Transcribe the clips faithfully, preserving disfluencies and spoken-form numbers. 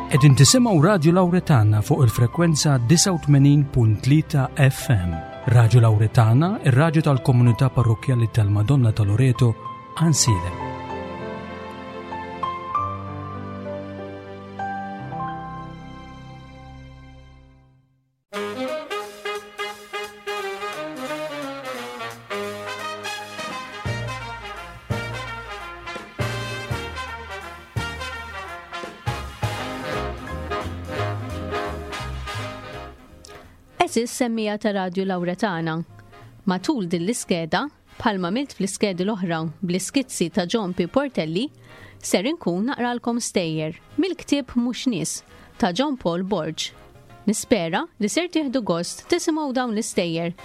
Qegħdin tisimgħu Radju Lawretana fuq il-frekwenza disgħa u tmenin punt tlieta F M. Radju Lawretana, ir-radju tal-komunità parrokkjali tal-Madonna ta' Loreto, Għajnsielem. Għeżież semmija ta' Radju Lawretana. Matul din l-iskeda, bħalma milt fl-iskedi l-oħra bl-iskizzi ta' John P. Portelli, ser inkun naqralkom stejjer mill-ktieb Mhux Nies ta' John Paul Borg. Nispera li ser tieħdu gost tisimgħu dawn l-istejjer.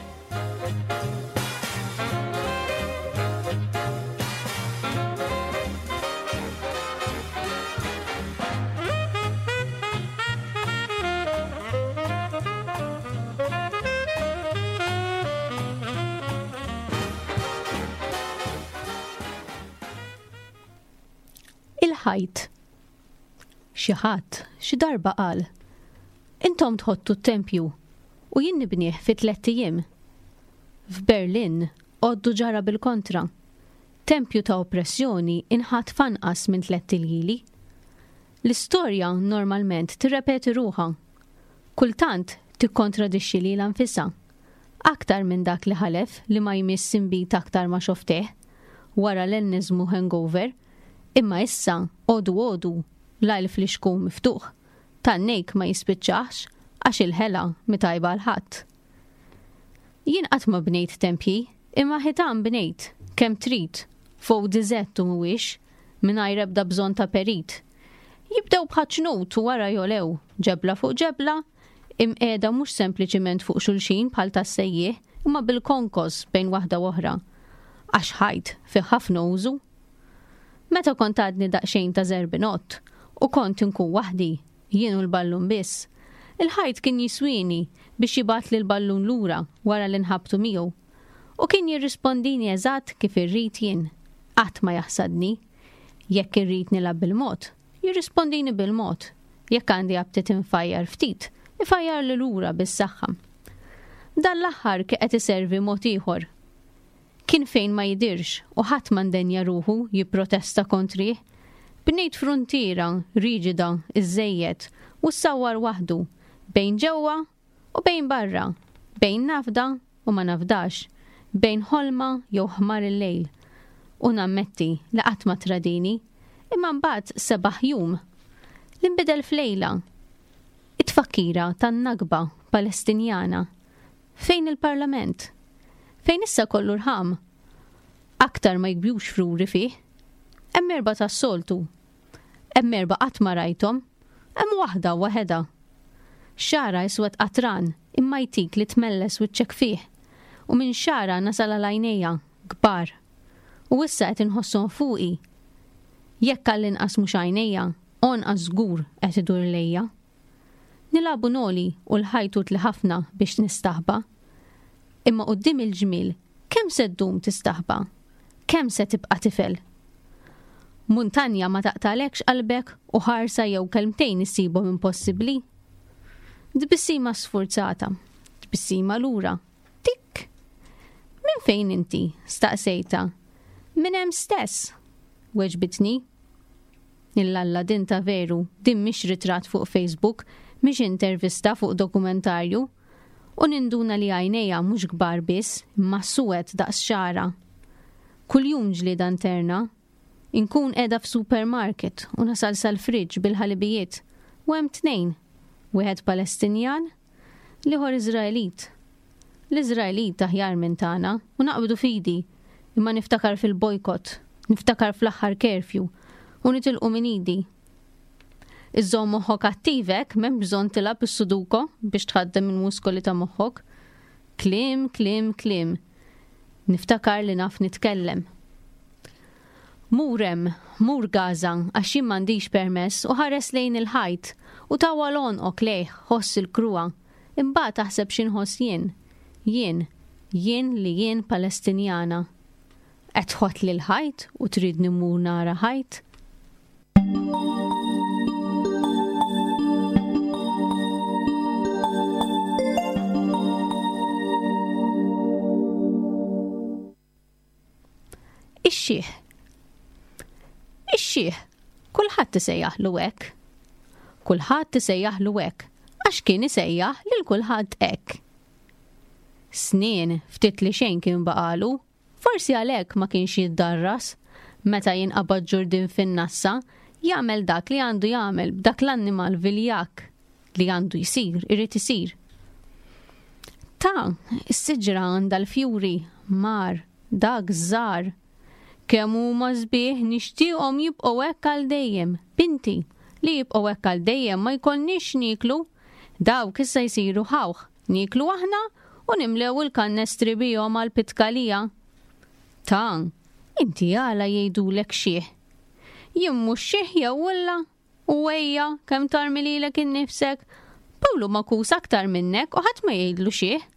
Il-ħajt. Xi ħadd xi darba qal, intom tħottu t-tempju u jien nibnieh fi tlett ijiem. F'Berlin għoddu ġara bil-kontra. Tempju ta' oppressjoni inħatt f'anqas minn tlett iljieli. L-istorja normalment tirrepeti ruħha. Kultant tikkontradixxi lilha nfisha. Aktar minn dak li ħalef li ma jmiss imbit aktar ma xofteh wara l-enniżmu hangover, imma issa għodu għodu lajl fl-ixkun miftuħ, tan-nejk ma jispiċċax għax il-ħela mitajba l-ħadd. Jien qatt ma bnejt tempji, imma ħitan bnejt kemm trid, fuq diżett u mhuwiex, mingħajr ebda bżonn ta' perit. Jibdew bħaċnut u wara jolew, ġebla fuq ġebla, imqiegħda mhux sempliċiment fuq xulxin bħal tas-sejjieħ, imma bil-konkos bejn waħda u oħra. Għax ħajt fih ħafna użu. Meta kont għadni daqsxejn ta' zerbinott u kont inkun waħdi, jien u l-ballun biss, il-ħajt kien jiswini biex jibgħatli l-ballun lura wara li nħabtu miegħu. U kien jirrispondini eżatt kif irrid jien. Qatt ma jaħsadni. Jekk irrid nilgħab bil-mod, jirrispondini bil-mod. Jekk għandi aptit infajjar ftit, ifajjar li lura bis-saħħa. Dan l-aħħar kien qed iservi mod ieħor. Kien fejn ma jidirx u ħadd ma ndenja ruħu jipprotesta kontrih. Bnejt fruntiera riġida iżejjed u ssawwar waħdu bejn ġewwa u bejn barra, bejn nafda u ma nafdax, bejn ħolma jew ħmar il-lejl. U nammetti li qatt ma tradini, imma mbagħad sebaħ jum li nbidel f'lejla. It-tfakkira tan-Nakba Palestinjana. Fejn il-Parlament? Fejn issa kollu rħam? Aktar ma jikbjux fruri fih. Hemm erba' tas-soltu. Hemm erba' qatt ma rajthom. Hemm waħda waħedha. Xara iswed qatran imma jtik li tmelles wiċċek fih. U minn xara nasal għal għajnejja kbar. U issa qed inħosshom fuqi. Jekk għall-inqas mhux għajnejja, onqas żgur qed idur lejja. Nilagħbu noli u l-ħajt utli ħafna biex nistaħba. Imma quddiem il-ġmiel, kemm se ddum tistaħba? Kemm se tibqa' tifel? Muntanja ma taqtalekx qalbek u ħarsa jew kelmtejn issibhom impossibbli? Tbissima sfurzata, tbissima lura. Tik! Minn fejn inti? Staqsejta. Minn hemm stess, weġbitni. Illalla din ta' veru, din mhix ritratt fuq Facebook, mhix intervista fuq dokumentarju. U ninduna li għajnejja mhux kbar biss, imma suwed daqs xara. Kuljum ġlieda interna, inkun qiegħda f'supermarket u nasal sal-friġġ bil-ħalibijiet u hemm tnejn, wieħed Palestinjan, l-ieħor Iżraelit. L-Iżraelit aħjar minn tagħna u naqbdu fidi, imma niftakar fil-bojkott, niftakar fl-aħħar curfew u nitilqu minn idi. Iżżomm moħħok attivek, m'hemm bżonn tilgħab is-sudoku biex tħaddem il-muskoli ta' moħħok. Kliem, kliem, kliem. Niftakar li naf nitkellem. Mur hemm, mur Gaza, għax jien m'għandix permess u ħares lejn il-ħajt u tawwal għonqok lejh, ħoss il-kruha. Imbagħad taħseb xi nħoss jien. Jien, jien li jien Palestinjana. Qed tħott lil ħajt u tridni mmur nara ħajt? Ix-xiħ. Ix-xiħ, kulħadd isejjaħlu hekk. Kulħadd isejjaħlu hekk għax kien isejjaħ lil kulħadd hekk. Snien ftit li xejn kien baqalu, forsi għalhekk ma kienx jiddarras meta jinqabad ġurdien fin-nassa jagħmel dak li għandu jagħmel b'dak l-annimal viljakk li għandu jsir, irid isir. Ta, is-siġra għandha l-fjuri, mar, dak żgħar. Kemm huma sbieħ nixtieqhom jibqgħu hekk għal dejjem. Binti, li jibqgħu hekk għal dejjem ma jkollniex nieklu. Dawk issa jsiru ħawħ, nieklu aħna u nimlew il-kannestri bihom għal pitkalija. Ta, inti għala jgħidulek xiħ. Jien mhux xiħ jew willa? U ejja, kemm tarmi lilek innifsek? Pawlu makus aktar minnek u ħadd ma jgħidlu xiħ.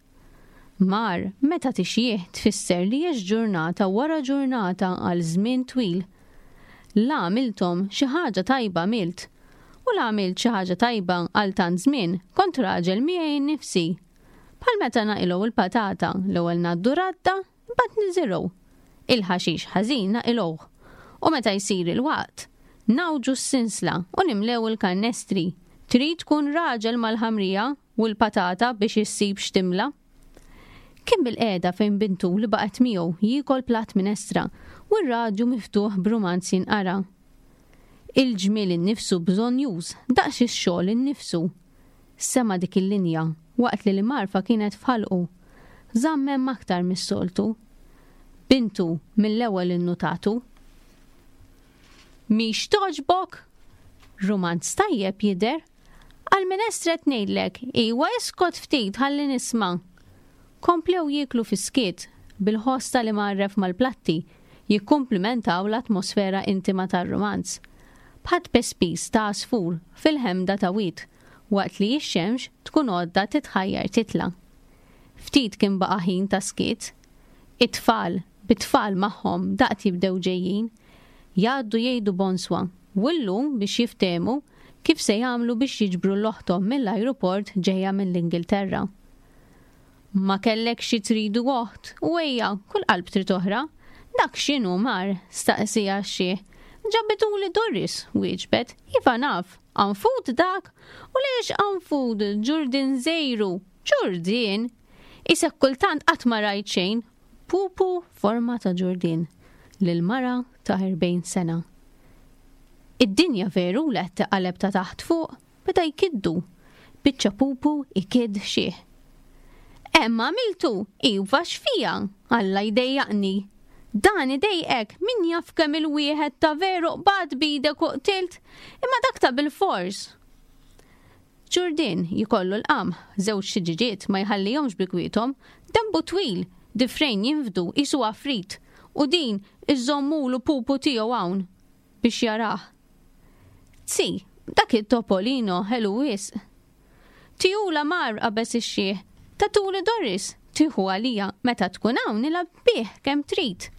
Mar, meta tixjieħ tfisser li għext ġurnata wara ġurnata għal żmien twil. La għamilthom xi ħaġa tajba għamilt. U la għamilt xi ħaġa tajba għal tant żmien, kont raġel miegħi nnifsi. Bħal meta naqilgħu il-patata, l-ewwel ngħaddu radda, imbagħad niżirgħu. Il-ħaxix ħażin naqilgħuh. U meta jsir il-waqt, nawġu s-sinsla u nimlew il-kannestri. Trid tkun raġel mal-ħamrija u l-patata biex issib x'timla. Kien bil-qiegħda fejn bintu li baqgħet miegħu jiekol platt minestra u r-radju miftuħ b'rumanz jinqara. Il-ġmiel innifsu bżonnjuż daqs ix-xogħol innifsu. Sema' dik il-linja waqt li l-marfa kienet f'ħalqu. Żamm hemm aktar mis-soltu. Bintu mill-ewwel innutatu. Mhix togħġbok? Rumanz tajjeb jidher. Għal-minestra qed ngħidlek, iwa iskot ftit ħalli nisma'. Komplew jieklu fis-skiet bil-ħoss tal-imgħarref mal-platti jikkumplimentaw l-atmosfera intima tar-rumanz. Bħat pespis ta' għasfur fil-ħemda ta' wied waqt li x-xemx tkun għodda titħajjar titla'. Ftit kien baqa' ħin ta' skiet. It-tfal, bit-tfal magħhom daqt jibdew ġejjin, jgħaddu jgħidu bonswa u llum biex jiftehmu kif se jagħmlu biex jiġbru l-oħthom mill-ajruport ġejja mill-Ingilterra. Ma kellek xi tridu oħt, u ejja, kull qalb trid oħra. Dak x'inhu mar, staqsija x-xiħ. Ġabituli Doris, wieġbet, iva naf, qanfud dak, u lex qanfud, ġurdien żejru, ġurdien. Isek kultant qatt ma rajt xejn, pupu forma ta' ġurdien, lil mara ta' erbgħin sena. Id-dinja veru li qed taqaleb ta' taħt fuq, beda jkiddu, biċċa pupu ikidd xiħ. Emma għamiltu, iva x'fija, Alla jdejjaqni. Dan idejqek, min jaf kemm il-wieħed ta' veru qbad bidek u qtilt, imma dak ta' bil-fors. Ġurdien jikollu l-qamħ, żewġ xiġiġiet ma jħallihomx bi kwiethom, dembu twil, difrejn jinfdu qisu għafrit, u din iżommulu pupu tiegħu hawn biex jarah. Zi, dak it-Topolino ħelu wisq. Tijula mar qabeż ix-xiħ, tatuli Doris, tieħu għalija meta tkun hawn nilgħab bih kemm trid.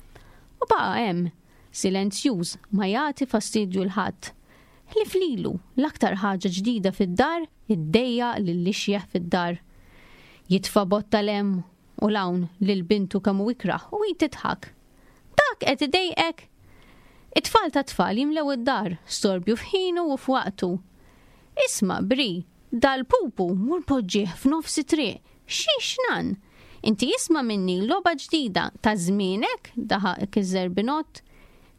U baqa' hemm, silenzjuż, ma jagħti fastidju l ħadd. Ħlief lilu, l-aktar ħaġa ġdida fid-dar, iddejja lil ixjeħ fid-dar. Jitfa' botta l-hemm u l-hawn lil bintu kemm hu ikrah u hi tidħak. Dak qed idejqek? It-tfal ta' tfal jimlew id-dar, storbju f'ħinu u f'waqtu. Isma' Bri, dal-pupu mur poġġih f'nofs it-triq. Xiex nan? Inti isma' minni logħba ġdida ta' żmienek, daħaq iż-żerbinott.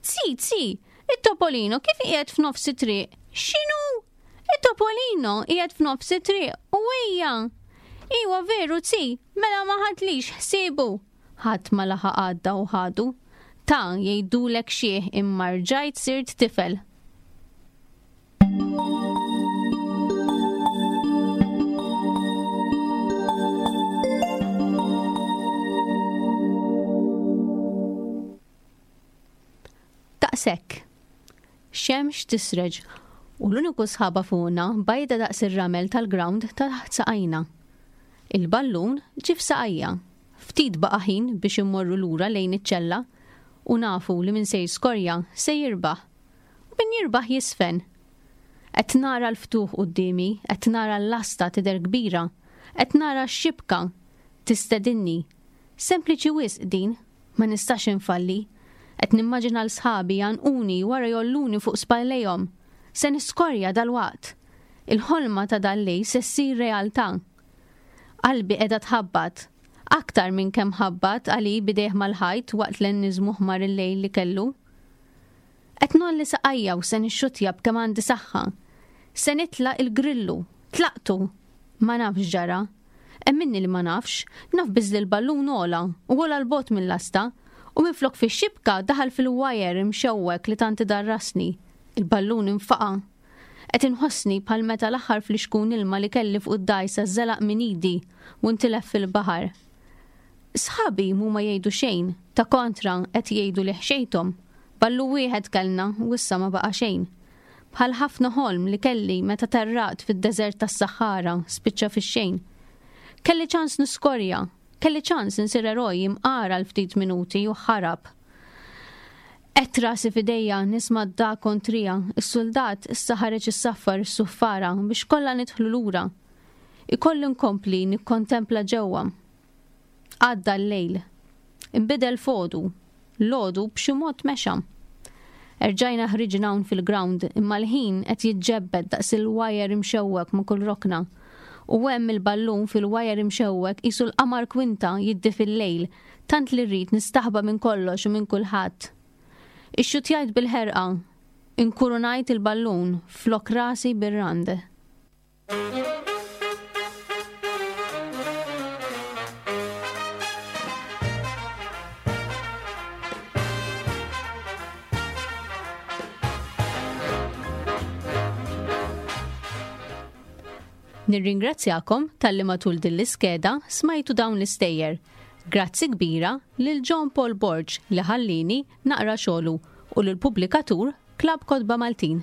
Zi, zi, it-Topolino kif qiegħed f'nofs it-triq? X'inhu? It-Topolino qiegħed f'nofs it-triq u ejja. Iwa veru zi, mela ma ħadlix ħsiebu. Ħadd ma laħaq għadda u ħadu. Ta' jgħidulek xieħ imma rġajt sirt tifel. Daqshekk. Xemx tisreġ u l-uniku sħaba fuqna bajda daqs ir-ramel tal-ground taħt saqajna. Il-ballun ġie f'saqajja. Ftit baqa' ħin biex immorru lura lejn iċ-ċella u nafu li min se jiskorja se jirbaħ. U min jirbaħ jisfen. Qed nara l-ftuħ quddiemi, qed nara l-lasta tidher kbira, qed nara x-xibka tistedinni. Sempliċi wisq din, ma nistax infalli. Qed nimmaġina 'l sħabi jgħannquni wara jgħolluni fuq spallejhom. Se niskorja dalwaqt. Il-ħolma ta' dal-lejl se ssir realtà. Qalbi qiegħda tħabbat. Aktar minn kemm ħabbat għali b'idejh mal-ħajt waqt l-enniżmu ħmar il-lejl li kellu. Qed ngħolli saqajja u se nixxutja b'kemm għandi saħħa. Se nitlaq il-grillu. Tlaqtu. Ma nafx ġara. Emminni li ma nafx, naf biss li l-ballun għola u għola 'l bogħod mill-lasta u minflok fix-xibka daħal fil-wajer imxewwek li tant idarrasni. Il-ballun infaqa'. Qed inħossni bħal meta l-aħħar flixkun ilma li kelli fuq id-dgħajsa żelaq minn idi u ntilef fil-baħar. Sħabi mhuma jgħidu xejn, ta' kontra qed jgħidu li ħxejthom. Ballu wieħed kellna u issa ma baqa' xejn. Bħal ħafna ħolm li kelli meta terraqt fid-deżert tas-Saħara spiċċa fix-xejn. Kelli ċans niskorja, kelli ċans insir eroj imqar għal ftit minuti u ħarab. Qed rasi f'idejja nisma' d-dagħa kontrija, is-suldat issa ħareġ issaffar is-suffara biex kollha nidħlu lura. Ikolli nkompli nikkontempla ġewwa. Għadda l-lejl. Inbidel f'għodu. L-għodu b'xi mod mexa. Erġajna ħriġna hawn fil-ground imma l-ħin qed jiġġebbed daqs il-wajer imxewwek ma' kull rokna. U hemm il-ballun fil-wajer imxewwek qisu l-qamar kwinta jiddi fil-lejl, tant li rrid nistaħba minn kollox u minn kulħadd. Ixxutjajt bil-ħerqa, inkurunajt il-ballun flok rasi bir-rand. Nirringrazzjakom talli matul din l-iskeda smajtu dawn l-istejjer. Grazzi kbira lil John Paul Borg li ħallini naqra xogħlu u lill-pubblikatur Klabb Kotba Maltin.